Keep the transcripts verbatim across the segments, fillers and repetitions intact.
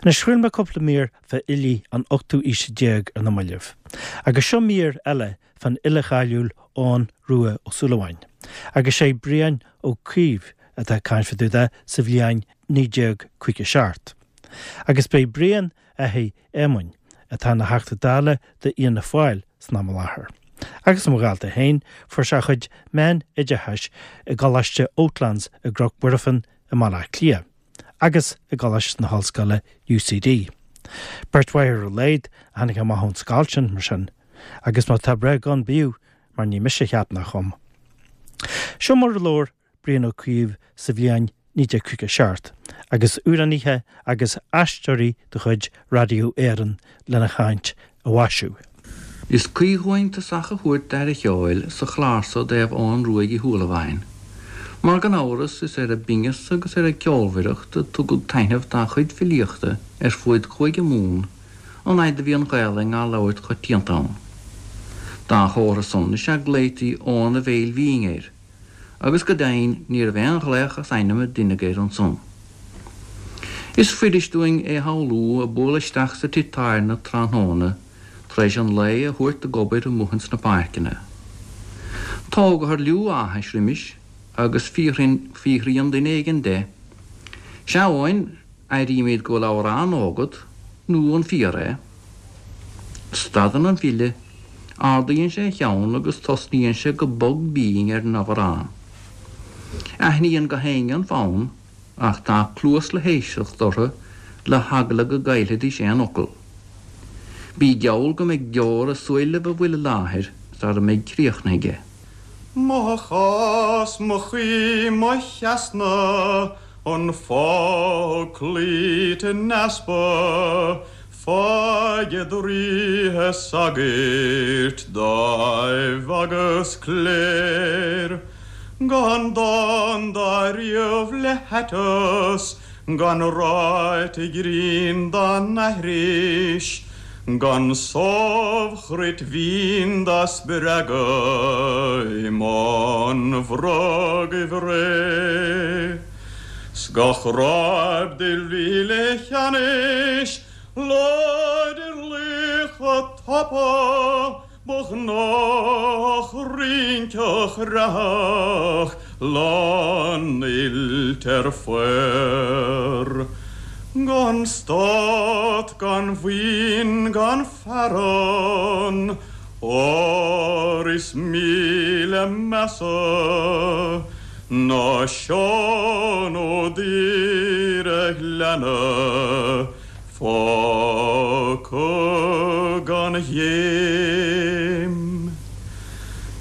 Anois chraol mé cúpla mír fá fhilí an ochtú aois déag ar na mallaibh. Agus seo mír eile fan fhile cáiliúil Eoghan Rua Ó Súilleabháin. Agus sé Brian Ó Cuív atá ag caint fá dtaobh de sa bhliain naoi déag caoga seacht. Agus b'é Brian athair Éamoinn atá ina Theachta Dála d'Fhianna Fáil san am i láthair. Agus mo dhalta féin fuair sé a chuid meánoideachais i gColáiste Oatlands i gCnoc Mhuirfean i mBaile Átha Cliath, agus i gColáiste na hOllscoile UCD. Beirt mhaith ar a laghad a tháinig amach ón scoil sin mar sin, agus má tá breith gan bíodh mar ní mise a cheap ná a chum. Seo mar a labhair Brian Ó Cuív sa bhliain naoi déag caoga seacht, agus amhránaithe agus aisteoirí de chuid Raidió Éireann lena chaint a mhaisiú. Is cuí dhúinn tosach a thabhairt d'aire cheoil sa chlár so i dtaobh Eoghan Ruaidh Uí Shúilleabháin. Mar gan amhras is ar a bhinneas agus ar a cheolmhaireacht a tugadh taitneamh dá chuid filíochta ar fuaid Chúige Mumhan an fhaid a bhí an Ghaelainn á labhairt coitianta ann. Dá chomhartha san is ea glaoití Eoghan a' Bhéil Bhinn air, agus go deimhin ní raibh aon ghlaoch as ainm a deineadh air ansan. Is fuirist dúinn é a shamhlú ag bualadh isteach sa tigh tábhairne tráthnóna tar éis an lae a thabhairt ag obair amuigh ins na páirceanna. Tógathar liú áthais roimis agus fiafraíonn duine éigin de, 'Sea, a Eoin, airímid go bhfuil amhrán agat, nó an fíor é? Stadann an file, ardaíonn sé a cheann agus tosnaíonn sé go bog binn ar an amhrán. Aithníonn gach éinne an fonn ach tá cluas le héisteacht orthu le heagla go gcaillfidís aon fhocal. Bí geall go mbeidh deora i súilibh a bhfuil i láthair sara mbeidh críochnaithe aige. Mo chás, mo chaoi, mo cheasna, an fáidh cloíte in easpa, Faighid ríthe sagairt dáimh agus cléir. Gan dán dá ríomh le haiteas, gan ráite grinn dá n-aithris, gan sámhchruit mhín dá spreagadh i mbun bhrogaibh ré. 'S gach ráib de mhíle cheannais, láidir laoch tapa, ba ghnách rinceach reathach lánoilte ar phár. Gan stát, gan mhaoin, gan fearann, ór is míle measa ná Seán Ó Daoire Ghleanna fágtha gan ghéim.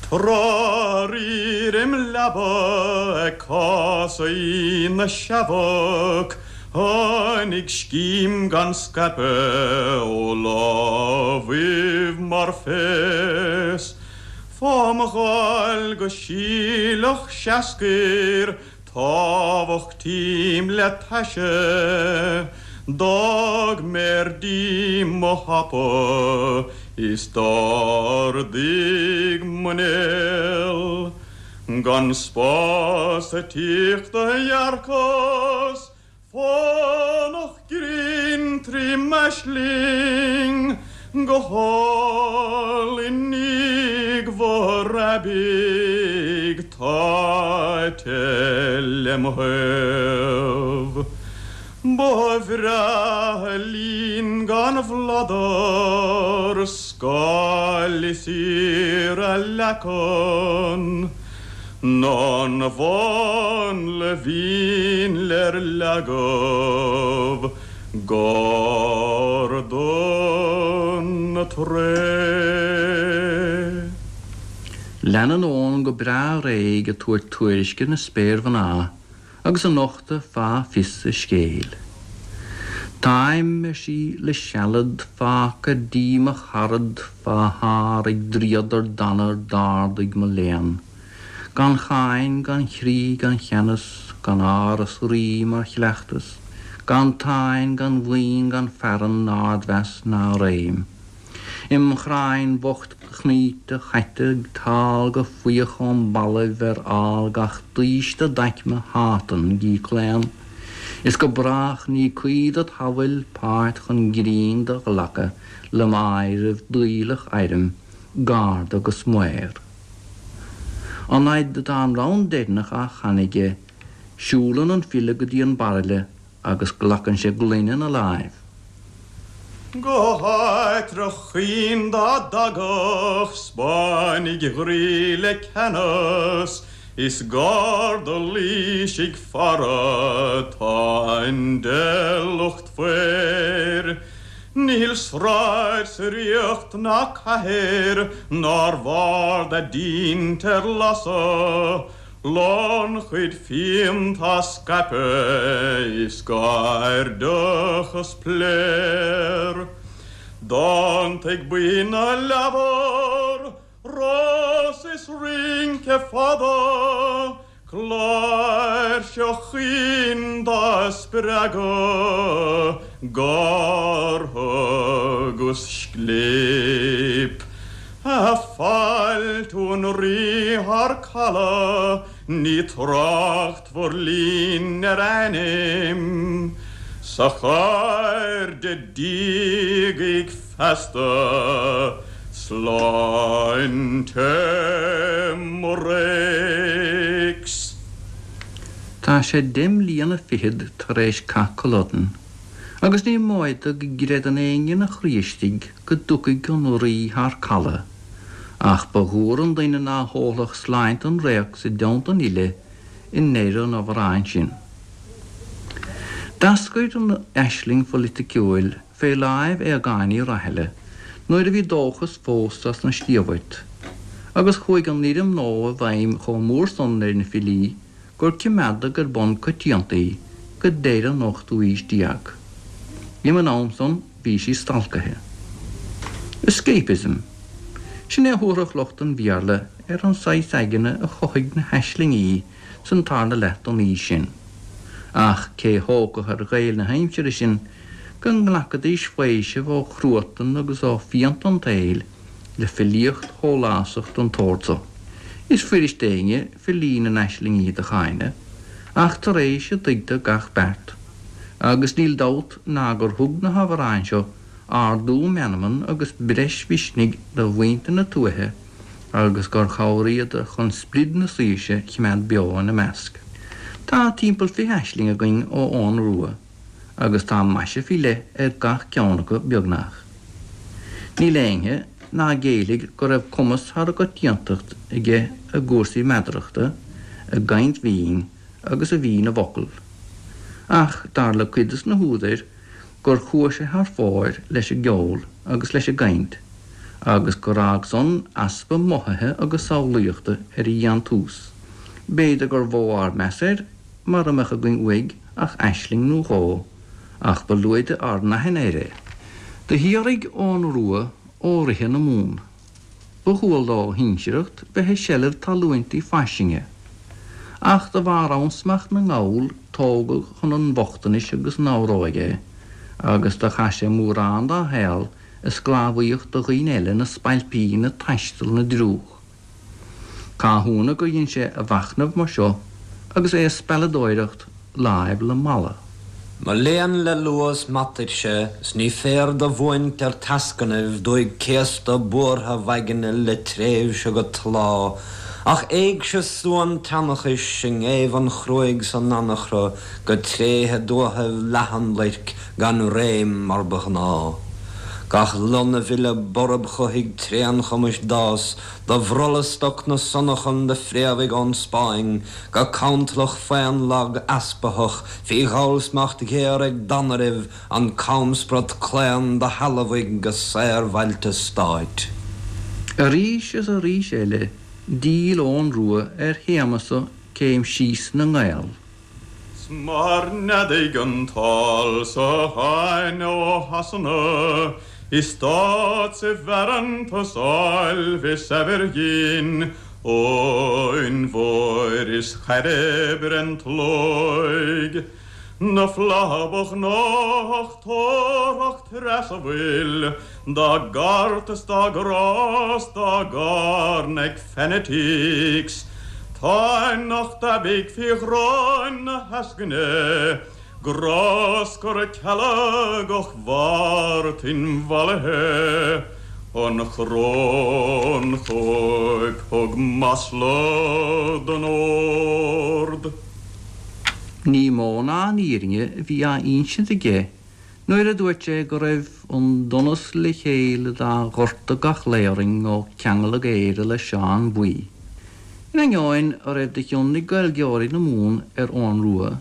Tráth riar im leaba ag casaidh na seabhac, tháinig scím gan scaipeadh ó lámhaibh mar phéas. Fám ghail go síleach seascair, támhach tím le taise, D'fhág méar díom mo hapa is d'ardaigh mo néal. Gan spás sa teach do dhearcas, fánach grinn trí m'aisling, go hálainn íogmhar aibidh táite lem thaobh. Ba bhreá linn gan bhladar, scáil is iarraidh leacan, ná an mhánla mhín ler leagadh gar don tré. Leanann Eoghan go breá réidh ag tabhairt tuairisce na spéirmhná agus ag nochtadh fáth fios a scéil. Táim, ar sí, le sealad fágtha dí mo charad fá thár ag dríodar danar d'ardaigh mo léan. Gan cháin, gan chrí, gan cheannas, gan áras rí mar chleachtas, gan táin, gan mhaoin, gan fearann, ardmheas ná réim. Im chráin bhocht chnaíte chaite ag tál go faíoch óm bhallaibh ar fhál gach daoiste d'aicme Shátain gí claon. Is go brách ní cuí dod shamhail páirt chun grinn do ghlacadh le m'áireamh daoileach éirim, garda agus maor. An fhaid atá an rann deireanach á chanadh aige, siúlann an file go dtí an bairille agus glacann sé gloine ina láimh. Go háitreabh chaoin dá dtagadh Spáinnigh ghriolla le ceannas Is garda Laoisigh faire tá an lucht fair. Níl sráid sa ríocht ná cathair nár mhar dá dtinte ar lasadh, Lánchuid fíon tá scaipthe is gairdeachas pléar. Dánta ag buíon na leabhar, Rás is rince fada, Cláirseach chaoin dá spreagadh, Gártha 'gus scléip. Ag fáiltiú an Rí thar caladh, Ní tráchtfar linn ar ainm, Sa chairde dígaigh feasta, Sláinte mo réics. Tá sé deich mbliana fichead tar éis Cath Culloden, agus ní móide go gcreideann éinne ina chroí istigh go dtiocfaidh an rí thar caladh, ach ba dhúr an duine ná hólfadh sláinte an réacs i dteannta an fhile i ndeireadh an amhráin sin. D'eascair an aisling pholaiticiúil fé láimh Aogáin Uí Rathaille nuair a bhí dóchas fós as na Stíobhairt, agus chuaigh an fhoirm nua i bhfeidhm chomh mór san ar na filí gur coimeádadh ar bun coitianta í go deireadh an ochtú aois déag. Roimh an am san bhí sí stalcaithe. Escapism. Sin é a thabharfadh lucht an Bhéarla ar an saghas aigne a chothaigh na haislingí san tarna leath den aois sin. Ach cé thógfadh ar Ghaeil na haimsire sin go nglacfaidís faoiseamh ó chruatan agus ó phianta an tsaoil le filíocht shólásach den tsórt so. Is fuirist d'éinne filí na n-aislingí do cháineadh, ach tar éis a dtuigtear gach beart. Agus níl dabht ná gur thug na hamhráin seo ardú meanman agus breis mhisnigh do mhuintir na tuaithe agus gur chabhraigh iad chun sprid na saoirse a choimeád beo ina measc. Tá timpeall fiche aisling againn ó Eoghan Rua, agus tá maise faoi leith ar gach ceann acu beagnach. Níl éinne ná géillfidh go raibh cumas thar an gcoitiantacht aige i gcúrsaí meadarachta, i gcaint mhín agus i bhfí na bhfocal. Ach dar le cuid de na húdair gur chuaigh sé thar fóir leis an gceol agus leis an gcaint, agus gur fhág san easpa mothaithe agus samhlaíochta ar a dhéantús. B'fhéidir gur mhó ár meas air mura mbeadh againn uaidh ach aisling nó dhó, ach ba lúide ár n-aithne air é. Do shíoraigh Eoghan Rua ó ríthe na Mumhan. Ba dhual dá shinsearacht bheith i seilbh talúintí fairsinge. Ach de bharr ansmacht na nGall tógadh chun an bhochtanais agus an fhabhróige é, agus do chaith sé mórán dá shaol i sclábhaíocht do dhaoine eile ina spailpín ag taisteal na dtriúch. Cá hionadh gur dhein sé a mhachnamh mar seo agus é ag spealadóireacht láimh le mala. Mo léan le luas m'atuirse 's ní féar do bhuaint ar teascannaibh dúigh céasta buartha mhaighne le tréimhse go tláth, ach éigse suan tseanchais i ngéibheann chruaidh san anachra go tréithe dúthaibh leathanluirc gan réim mar ba ghnáth. Gach lon a bhile borb chothaigh tréanchumais d'fhás, do bhrolla stoc na sionnachan do phréamhaigh ón Spáinn, go cantlach faonlag easpathach fí ghabhal-smacht ghéar ag danairbh an camsprot claon do shealbhaigh go saorbhailte stáit. Arís is arís eile, d'fhill Eoghan Rua ar théama so céim síos na nGael. 'S mar neadaigh an t-ál sa Aibhne ó Shasana, I stát 's i bhfearann áilbh is saibhir dhinn, Eoin Mhóir is Chairbre an tslóigh. Na flatha ba ghnách tabharthach treas a bhfuil, Dá gcairt is dá gcrá 's dá gcarn ag fanatics, Tá anocht aibidh faoi ghráin na heascaine, Gráscar a ceallagach Mhartin bhailithe an choróin chóip thug masla don ord. Ní mó ná an fhírinne a bhí á insint aige nuair a dúirt sé go raibh an donas le chéile dá ghortadh gach lá orainn ó ceangaladh Éire le Seán Buí. In ainneoin a raibh de chion ag Gaeilgeoirí na Mumhan ar Eoghan Rua,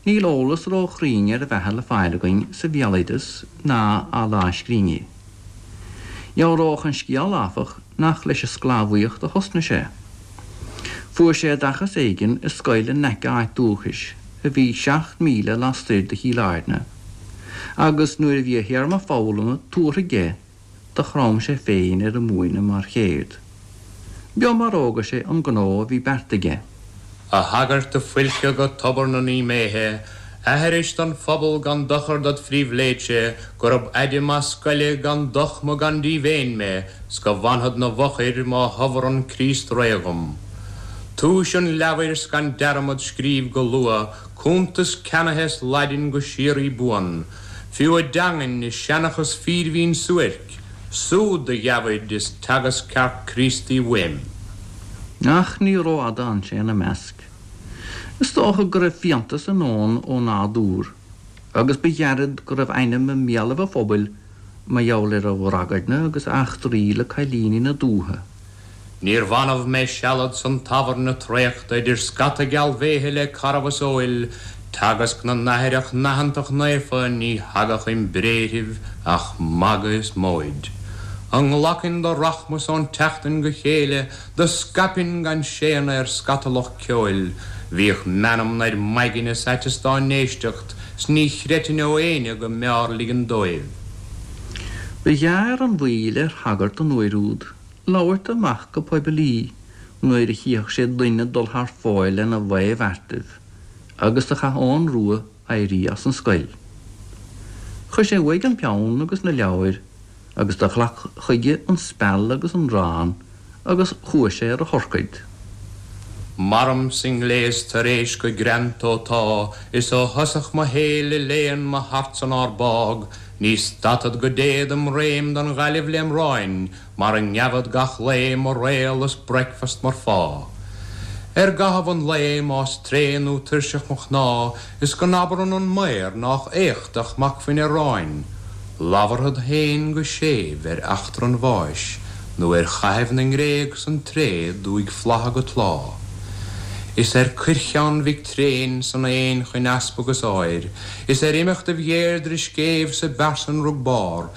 níl eolas róchruinn ar a bheatha le fáil againn sa bhéaloideas ná i lámhscríbhinní. Dhealródh an scéal áfach nach leis an sclábhaíocht a thosnaigh sé. Fuair sé oideachas éigin i scoil in aice a áit dúchais, a bhí seacht míle lastoir de Chill Airne, agus nuair a bhí a théarma foghlama tabhartha aige do chrom sé féin ar an múineadh mar cheird. B'eo mar fhógair sé an gnó a bhí beartaithe aige. A shagairt a foilceadh go tobar na naomh-méithe, aithris don phobal gan dochar dod phríbhléidse, gurab aide maith scoile gan dochma gan díomhaoin mé, 's go bhfanfad 'na bhfochair má thabharann Críost ré dhom. Túis an leabhair 's gan dearmad scríobh go luath, cuntas ceannaithe 's Laidin go síoraí buan, fiú a dteangain is seanchas fírbhinn suairc, súd do gheabaid is teagasc ceart Críostaí uaim. Ach ní rófhada a d'fhan sé ina measc. Is dócha go raibh fiántas in Eoghan ó nádúr, agus ba ghairid go raibh ainm i mbéalaibh an phobail mar gheall ar a dhragairne agus a eachtraí le cailíní na dúiche. Níorbh annamh mé sealad san tábhairne traochta idir scata gealbhéithe le carbhas óil, teagasc na n-aithreach naitheantach naofa ní thagadh im bhréithribh ach magadh is móid. A nglacfainn do rachmas ón tseachtain go chéile, do scaipfinn gan séanadh ar scata lucht ceoil, bhíodh meanmna ar m'aigne is aiteas dá n-éisteacht, 's ní chreidfinn ó éinne go mb'fhearr ligean dóibh. Ba ghearr an mhoill ar shagart an uair úd labhairt amach go poiblí nuair a chífeadh sé duine ag dul thar fóir lena bhaothbheartaibh, agus do chaith Eoghan Rua éirí as an scoil. Chuir sé uaidh an peann agus na leabhair agus do ghlac chuige an speal agus an arán agus chuaigh sé ar a thurcaid. Mairim sa ngléas tar éis go greanta ó tá, is ó thosach mo shaoil i léan mo thart san ár bpágh, ní stadfad go dtéad im réim don Ghaillimh lem roinn, mar a ngeabhad gach lae mo réal is breakfast mar phá. Ar gcaitheamh an lae más tréan nó tuirseach mo chnámh, is go n-abrann an maor nách éachtach m'acmhainn aráin, labharfad féin go séimh ar eachtra an bháis, nó ar chaitheamh na nGréag san tréad uaidh flatha go tláth. Is ar cuircheann Mhic Tréin san aon chun easpag is áir, is ar imeachtaibh Dheirdre scéimh sa bpearsanrug barr,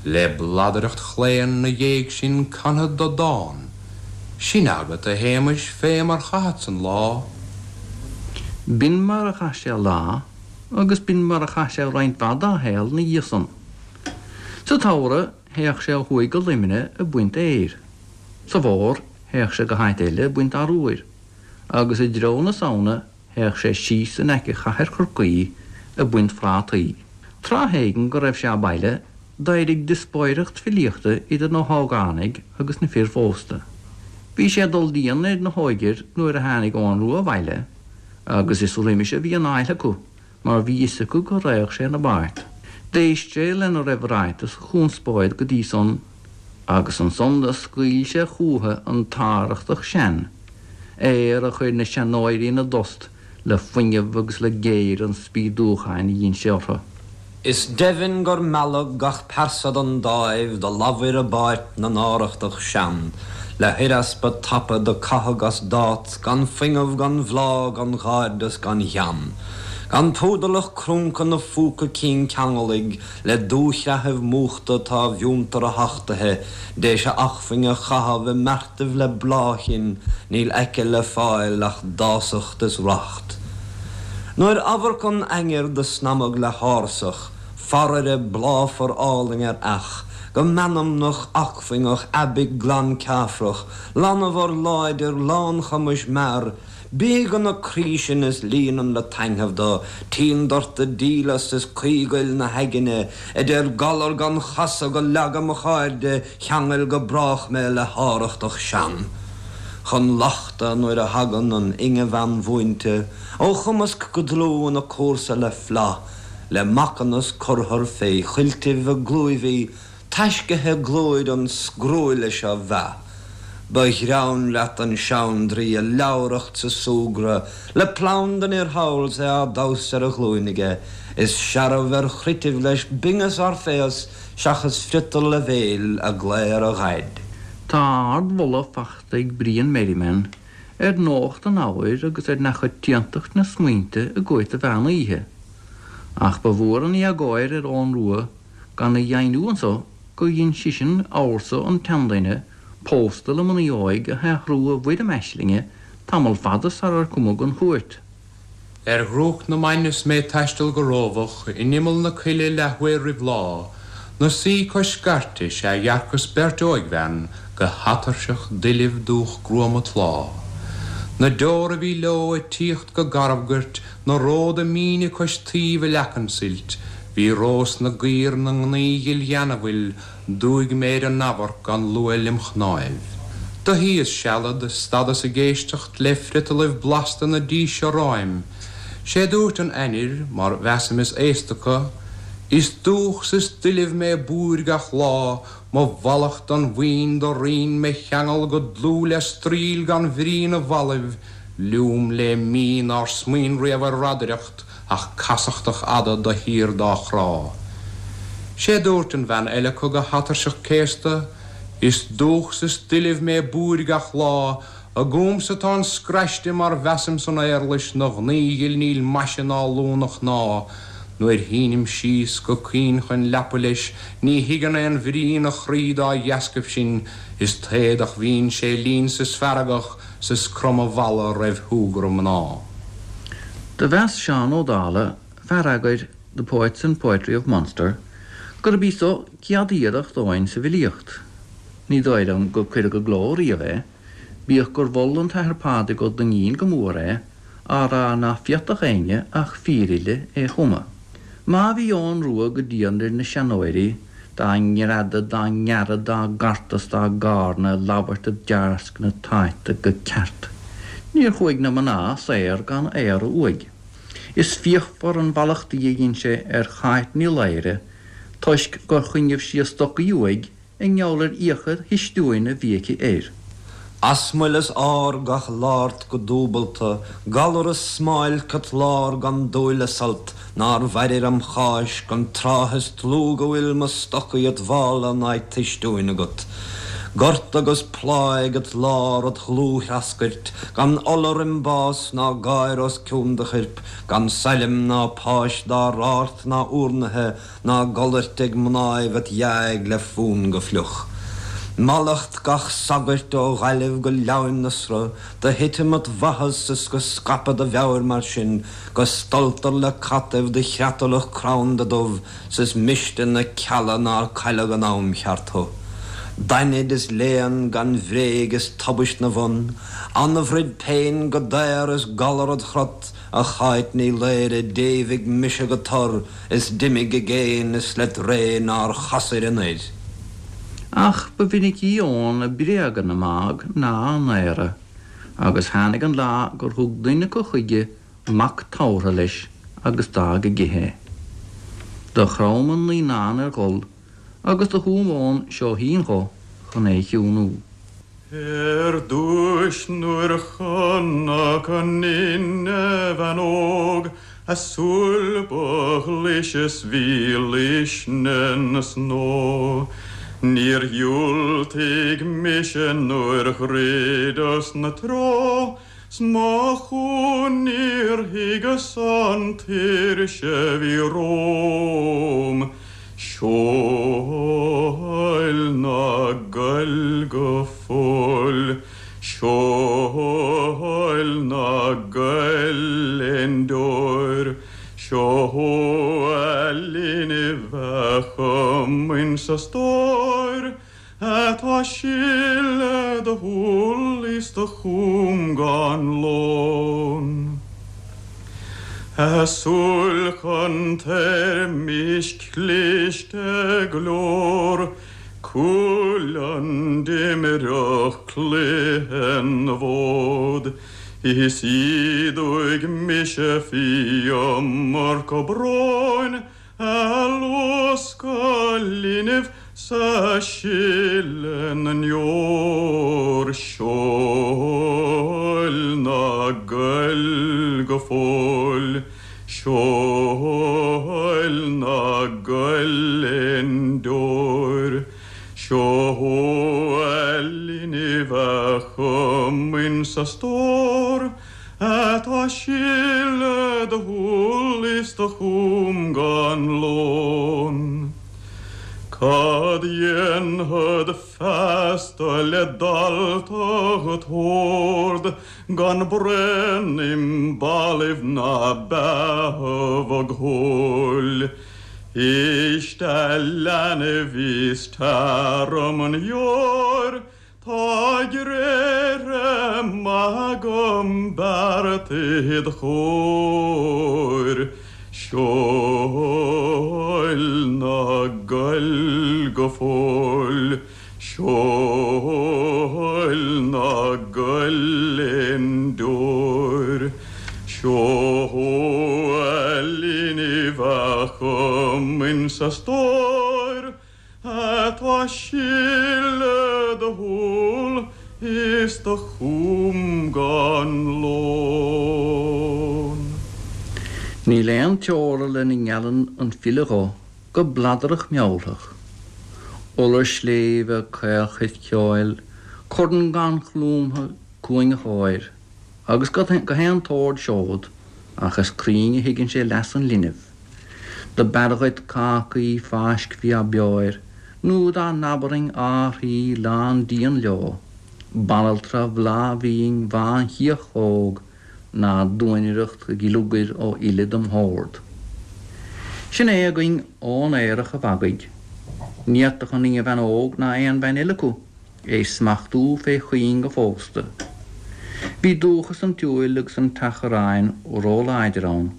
le bladaireacht chlaon 'na dhéidh sin canfad do dhán. Sin agat, a Shéamais, fé mar chaitheat an lá. B'in mar a chaith sé a lá, agus b'in mar a chaith sé roinnt mhaith dá shaol ina dhiaidh san. Sa tsamhradh théadh sé ó thuaidh go Luimneach ag baint fhéir. Sa bhfómhar théadh sé go háit eile ag baint arbhair, agus i dtreo na Samhna théadh sé síos in aice chathair Chorcaí ag baint phrátaí. Tráth éigin go raibh sé abhaile, d'éirigh diospóireacht filíochta idir na hógánaigh agus na fir phósta. Bhí sé ag dul dian ar na hóigir nuair a tháinig Eoghan Rua abhaile, agus is roimis a bhí an fhaill acu, mar bhí fhios acu go raghadh sé ina bpáirt. D'éist sé lena raibh ráite sa chonspóid go dtí san, agus ansan do scaoil sé chúthu an tArrachtach Sean, aoir a chuir na seanóirí ina dtost le fuinneamh agus le géire an spíodúcháin a dhein sé orthu. Is deimhin gur mealladh gach pearsa don dáimh do labhair i bpáirt na nArrachtach Sean, le huireaspa tapa do caitheadh as dát gan fuinneamh gan bhláth gan ghairdeas gan ghean. Gan púdar crúnca na phúca cinn ceangalaigh le dúshraithibh múchta tá bhfiúntar a thachtithe, d'éis a acmhainn a chaitheamh i mbeartaibh le bláthchinn, níl aici le fáil ach dásacht is racht. Nuair amharc an ainnir do snamag le hársach, faraire bláfar álainn ar each, go meanmnach acmhainneach aibidh glan ceafrach, lánmhar láidir lánchumais mear, Bí go na croí sin is líonann le taitneamh do, tínn dorta díleas is caoighill na haigne, idir galar gan chasadh go leaga mo chairde, cheangail go brách mé le hArrachtach Sean. Chun lochta nuair a thagann an inghean mhúinte, ó chumasc go dlúth ina cúrsa le flaith, le macanas curthar fé chuiltibh a glúibhí, taiscithe glóir an scrúile seo bheath. Ba ghreann leat an seandraoi a leabhracht sa súgradh, le planda den fhir thall 's é á damhsa ar a ghlúin aige, is searbh ar chruitibh leis bingeas áiféas seachas friotal a bhéil a glaor a dhaid. Tá ardmholadh fachta ag Brian Merriman ar nuacht an ábhair agus ar neachoitiantacht na smaointe i gCúirt an Mheán Oíche. Ach ba mhór an éagóir ar Eoghan Rua gan a dheimhniú anso gur dhein seisean amharsa an tseanduine pósta le mnaoi óig a shaothrú i bhfoirm aislinge tamall fada sarar cumadh an Chúirt. Ar dhrúcht na mban is mé ag taisteal go rábach in imeall na coille leathuair roimh lá, 'na suí cois scairte sea dhearcas beirt óigbhean go hatuirseach doilbh dúch gruama tláth. Na deora a bhí leo ag tíocht go garbhgoirt, na róda míne cois taoibh i leac an tsuilt, bhí rós na gcaor 'na ngnaoi ghil gheanamhail, d'fhuaigh mé ar a n-amharc gan luaith lem chnáimh. Do shuíos sealad, stadas ag éisteacht le friotalaibh blasta na díse romham. Sé dúirt an ainnir, mar mheasaim is aosta acu, Is dúch 's is doilbh mé búir gach lá, mo mhallacht don mhaoin do roinn me cheangal go dlúth le straoill gan bhrí na bhfallaibh, liúm le mí nár smaoin riamh ar radaireacht ach casachtach fhada de shíor dá chrá. Sé dúirt an bhean eile acu go hatuirseach céasta, Is dúch 's is doilbh mé búir gach lá, Agamsa tá an scraiste mar mheasaim san éarlais 'na ghnaoi ghil níl maise ná lú 'na chnámh, nuair shínim síos go caoin chun leapa leis, ní thuigeann aon bhrí 'na chroí dá dheascaibh sin, is taodach bhíonn sé linn 's is feargach 's is crom a mhalla roimh shúgradh mná. Do mheas Seán Ó Dálaigh, fear eagair The Poets and Poetry of Munster, gurb í so céad iarracht Eoghain sa bhfilíocht. Ní dóigh liom gur cuireadh i gcló riamh é, bíodh gur mhol an tAthair Pádraig Ó Duinnín go mór é, á rá ná féadfadh éinne ach fíorfhile é a chumadh. Má bhí Eoghan Rua go dian ar na seanóirí, dá ngreadadh, dá ngearradh, dá gcartadh 's dá gcarnadh, labhairt a dtarscnadh táite go ceart. Níor chuaigh na mná saor gan aoradh uaidh. Is fíochmhar an mhallachtaí a dhein sé ar Cháit Ní Laoghaire toisc gur choinnibh sí a stocaí uaidh i ngeall ar fhiacha histiúin a bhí aici air. Asmail is ár gach lárt go dúbalta, galar is smáilc at lár gan dúil a sult, nár mhairir am Cháisc an tráth is dlúth go bhfuil mo stocaí at mhála ná tuistiúin agat. Gort agus pláigh at lár at dhlúth-threascairt, gan ola roim bás ná gáir os cionn do choirp, gan sailm ná páis dá rárt ná urnaithe ná golairt ag mnáibh at dheáigh le fún go fliuch. Mallacht gach sagairt ó Ghaillimh go Leamhain na Sruth, do thitim at mhaitheas is go scaipfead do mheabhair mar sin, go stoltar le cataibh do chreatalach cranda dubh, 's is miste na cealla nár cailleadh in am cheart thú. Dainid is léan gan bhréig is tubaist 'na bhun, anbhroid péin go daor is galar ad chrot, a Cháit Ní Laoghaire d'éimhigh mise go tur, is d'imigh i gcéin is let ré nár chasair anoir. Ach ba mhinicí Eoghan ag bréagadh na mbág ná á n-aoradh, agus tháinig an lá gur thug duine acu chuige mac tabhartha leis agus d'fhág ag ithe é. Do chrom an naíonán ar ghol agus do chúm Eoghan seoithín dho chun é a chiúnú. Ar dtúis nuair chonac an inghean óg, A súil ba ghlise 's bhí luisne na snó. Níor dhiúltaigh mise nuair dhruideas 'na treo, 's mo chumha níor thuigeas an tuirse bhí romham. Seoil ná goil go fóill, seoil ná goil aon deoir, Seo a linbh a chumainn sa stór, Atá sileadh do shúl is do chúm gan lón. A súil chun toirmisc cliste glór, Cuchulainn d'imreodh cluiche na bhfód. Is ídeoidh mise fí iomarca bróin a luascadh linbh 's a sileadh na ndeor. Seol ná goil go fóill, seol ná goil aon deoir. Seo a linbh a chomaoin 's a stór, Atá sileadh do shúl is do chúm gan lón. Cad dhéanfad feasta le dalta t'órd, gan braon im ballaibh ná beatha bhog-shúil. Éist a leanbh is tar dom an dheoir, Tá gréithre maith agam beartaithe id chomhair. Seol ná goil go fóill, seol ná goil aon deoir. Seo a linbh a chomaoin 's a stór, Atá sileadh do shúl is do chúm gan lón. Níl aon teora lena ngeallann an file dho go bladarach mealltach. Iolar sléibhe, caolchruit cheoil, corn gannchlúmtha, cuain cháir, agus go haon t-ord seod, ach is cruinn a thuigeann sé leas an linbh. Do b'fhearr dhuit cácaí fáisc bhí á beoir, nó dá n-abarfainn árthaí lán díon leo, banaltra bhláthbhinn bhánchíoch óg ná duainireacht ghiliogair ó fhile dem shórt. Sin é againn Eoghan Aerach an Mhagaidh. Ní fhéadfadh an inghean óg ná aon bhean eile acu é smachtú fé chuing a phósta. Bhí dúchas an tsiúil agus an tseachráin róláidir ann,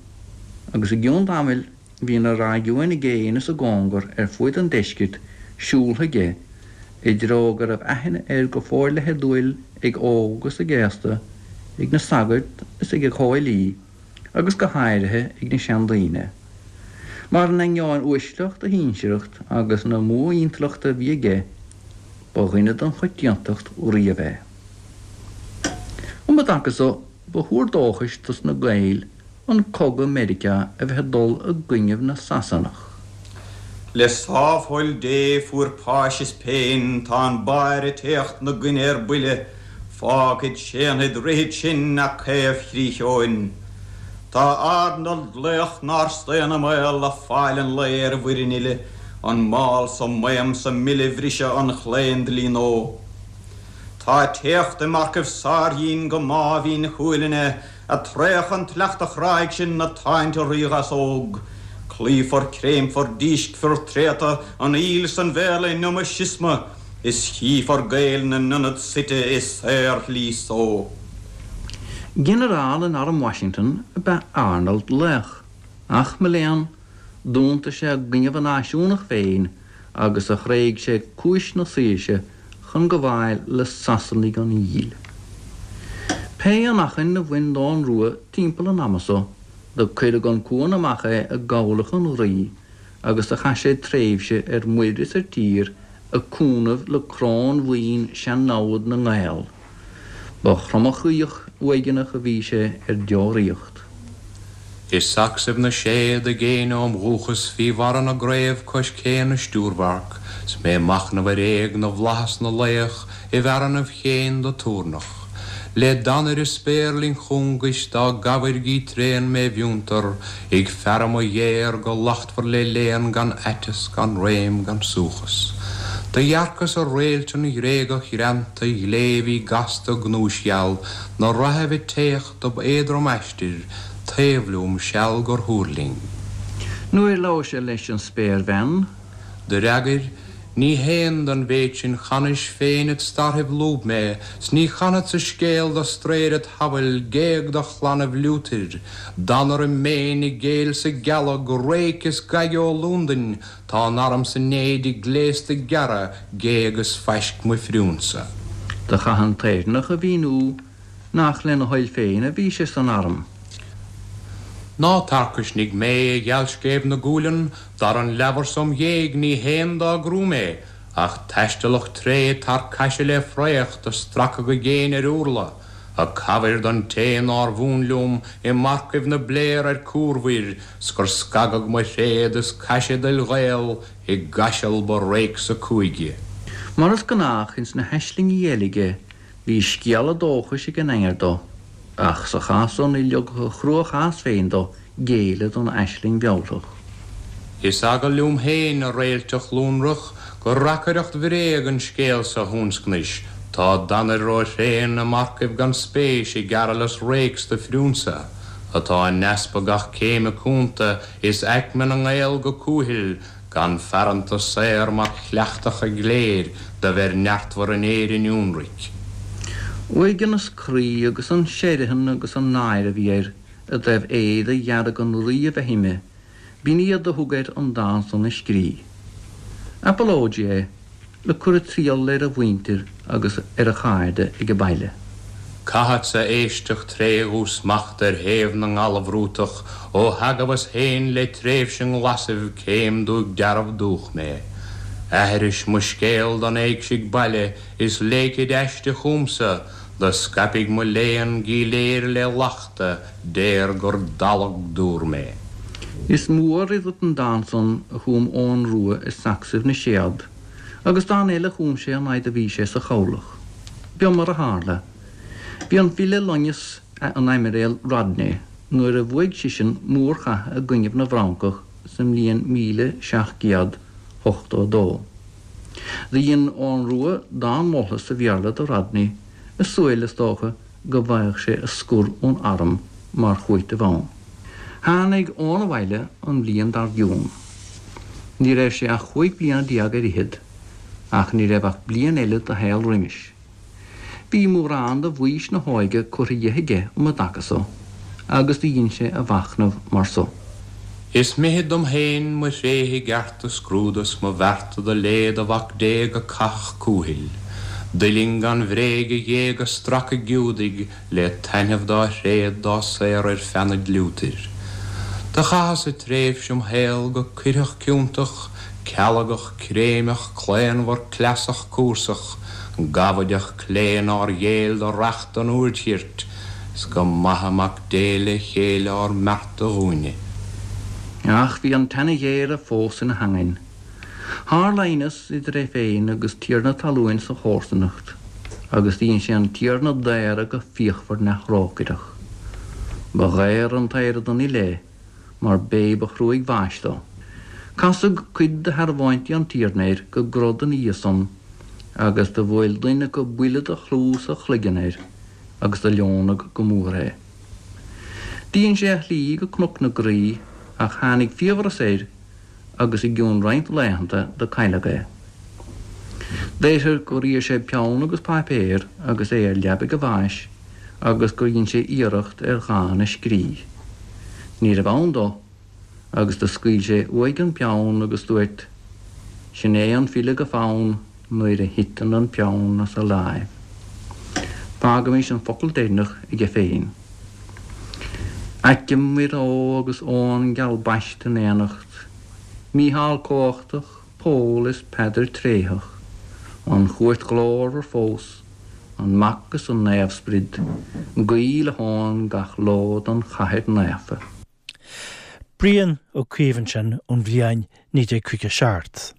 agus i gcionn tamaill bhí na réigiúin i gcéin is i gcóngar ar fuaid an deiscirt siúltha aige i dtreo go raibh aithne air go forleitheadúil ag óg is ag aosta, ag na sagairt is ag a chomhfhilí, agus go háirithe ag na seandaoine. Mar in ainneoin uaisleacht a shinsearacht agus na modh-intleachta a bhí aige, ba dhuine den choitiantacht riamh é. Um an dtaca so, ba thuar dóchais dos na Gaeil an cogadh Meiriceá a bheith ag dul i gcoinnibh na Sasanach. Le sámhthoil Dé fuair páis is péin, tá an báire ag téacht 'na gcoinne ar buile, Fágfaid, séanfaid, rithfid sinn a caomh-chrích Eoin. Tá Arnold laoch nár staon i mbaol ag fáil an lae ar an bhfoireann uile, an mál sa maidhm sa mile bhriseadh an chlaon-dlí nó. Tá téacht i marcaibh sárdhín go Máimhín Chuailgne, a traoch an tsleachta chráigh sin na táinte ríghasóg. Cloífear, créimfear, díscfear tréata an fhuil 's an Bhéarla in iomdha siosma, is chífear Gaeil 'na n-ionad suite i saorshlí só. Ginearál in arm Washington ab ea Arnold Laoch, ach mo léan, d'iontaigh sé i gcoinnibh a náisiúnach féin agus a thréig sé cúis na saoirse chun gabháil le Sasanaigh an fhuíll. Pé anachain a bhain d'Eoghan Rua timpeall an ama so, do cuireadh an cuan amach é i gcabhlach an Rí agus do chaith sé tréimhse ar muir is ar tír ag cúnamh le crónbhuíon sean-namhad na nGael. Ba thromchroíoch uaigneach a bhí sé ar deoraíocht. I sacsaibh na séad i gcéin óm dhúchas fí bharra na gcraobh cois cé na stiúrbharc, 's mé ag machnamh ar éag na bhflaitheas na laoch i bhfearannaibh chéin do tabharnach. Le danaire spéirling chúngais dá gcabhair gí tréan mé bhfiúntar, ag faire mo ghéar go lachtmhar le léan gan aiteas gan réim gan suchas. Do dhearcas ar réilt an Ghréagach ghreanta ghlé bhí gasta gnúisgheal, 'na rathaibh ag téacht dob éadrom aistir, taobh liom seal gur thuirling. Nuair labhair sé leis an spéirbhean, Do fhreagair, Ní haon don mhéid sin chanais féin it starthaibh lúb mé, 's ní chanfadsa scéal do straeir it shamhail géag do chlannaibh Liútair, Danar i méin i gcéill 's i gcealg, réic is gaige ó Lúndain, tá an arm 's an éide gléasta gearra, géag is faisc mo phriúnsa. Do chaith an tÉireannach a mhíniú nach lena thoil féin a bhí sé san arm. Ná tarcaisnigh mé a ghealscéimh na guaillean, dar an leabhar so 'm ghéag ní haon dá gcrú mé, ach taistealach tréith tar caise le fraoch do stracadh go géin ar urla, a cabhair don té nár mhún liom i marcaibh na bpléar ar cuarbhuir, 's gur scagadh mo thréad is caise d'fhuil Ghael i gcaiseal ba réicsa cúige. Mar is gnách ins na haislingí eile aige, bhí scéala dóchais ag an aoir dó. Ach sa chás so ní leogfadh a chruachás féin dó géilleadh don aisling mhealltach. Is eagal liom féin, a réilte ghlúnrach, gur reacaireacht bhréag an scéal so thionscnais, tá Danair róthréan i marcaibh gan spéis i gcearallas réics do phriúnsa, atá in easpa gach céime cúnta is aicme na nGael go cúthail, gan fearanta saor mar chleachtacha gléir do bheir neartmhar in Éirinn ionraic. Uaigneas croí agus an seirithean agus an náire a bhí air i dtaobh éide dhearg an rí a bheith uime, b'in iad a thug air an dán san a scrí. Apolóidí é, le cur ag triall ar a mhuintir agus ar a chairde ag baile. Caithfeadsa éisteacht tré dhúsmacht ar thaobh na nGallbhrútach ó theagmhas féin le tréimhse nglasaibh céim dúigh dearbh dúch mé. Aithris mo scéal don éigsigh baile is léicid aiste chumsa, do scaipfidh mo léan gíléir le lachta déar gur dalladh dúr mé. Is mór idir an dán san a chum Eoghan Rua i Sacsaibh na Séad, agus dán eile a chum sé an fhaid a bhí sé sa chabhlach. B'eo mar a tharla. Bhí an file loingeas an Aimiréal Rodney nuair a bhuaigh seisean mórchath i gcoinnibh na bhFrancach sa mbliain míle seacht gcéad ochtó a dó. Do dhein Eoghan Rua dán molta sa Bhéarla do Rodney, i súil is dócha go bhfaigheadh sé a scor ón arm mar chúiteamh ann. Tháinig Eoghan abhaile an bhliain dár gcionn. Ní raibh sé ach chúig bliana déag ar fhichead, ach ní raibh ach bliain eile de shaol roimis. Bhí mórán de bhaois na hóige curtha dhe aige um an dtaca so, agus do dhein sé a mhachnamh mar so. Is mithid dom féin mo thréithe gceart a scrúdú 's mo bhearta do lé do Mhac Dé go cathach cúthail. D'fhuiling gan bhréig a ghéag a stracadh Giúdaigh le taitneamh dá thréad dá saor ar feannad Liútair. Do chaitheas-sa tréimhse im shaol go cuirtheach ciontach, cealgach, créimeach, claonmhar, cleasach, cúrsach, gabhaideach clé nár ghéill do reacht an úir chirt, 's go maithe Mac Dé le chéile ár mbearta dhúinne. Ach bhí an teine ghéire fós ina theangain. Tharla aighneas idir é féin agus tiarna talúin sa chomharsanacht, agus dhein sé an tiarna daoradh go fíochmhar neamhthrócaireach. Ba dhaor an t-aoire don fhile é, mar b'é ba thrúig bháis dó. Casadh cuid de shearbhóntaí an tiarna air go grod ina dhiaidh san, agus do bhuail duine acu buille de chluas a chloigeann air, agus do leonadh go mór é. Dhein sé a shlí go Cnoc na Graí, ach tháinig fiabhras air agus i gcionn roinnt laethanta do cailleadh é. Deirtear gur iarr sé peann agus páipéar agus é ar leabaidh a bháis agus gur dhein sé iarracht ar dhán a scrí. Ní raibh ann dó agus do scaoil sé uaidh an peann agus dúirt, Sin é an file go fonn nuair a thiteann an peann as a láimh. Fágaimis an focal deireanach aige féin. Aicim Mhuire agus Eoin geal baiste in éineacht, Mícheál cumhachtach, Pól is Peadar tréitheach, an Chúirt ghlórmhar fós, an Mac is an Naomhsprid, guí le hEoin gach ló don chathair naofa. Brian Ó Cuív ansin ón bhliain naoi déag caoga seacht.